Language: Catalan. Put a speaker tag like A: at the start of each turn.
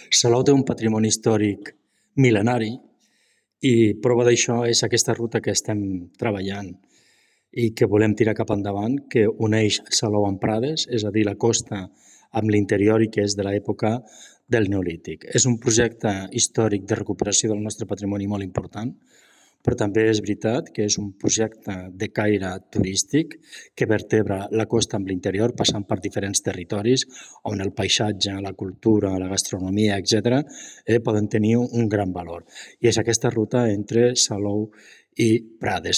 A: Salou té un patrimoni històric mil·lenari i prova d'això és aquesta ruta que estem treballant i que volem tirar cap endavant, que uneix Salou amb Prades, és a dir, la costa amb l'interior i que és de l'època del Neolític. És un projecte històric de recuperació del nostre patrimoni molt important, però també és veritat que és un projecte de caire turístic que vertebra la costa amb l'interior, passant per diferents territoris on el paisatge, la cultura, la gastronomia, etc., poden tenir un gran valor. I és aquesta ruta entre Salou i Prades.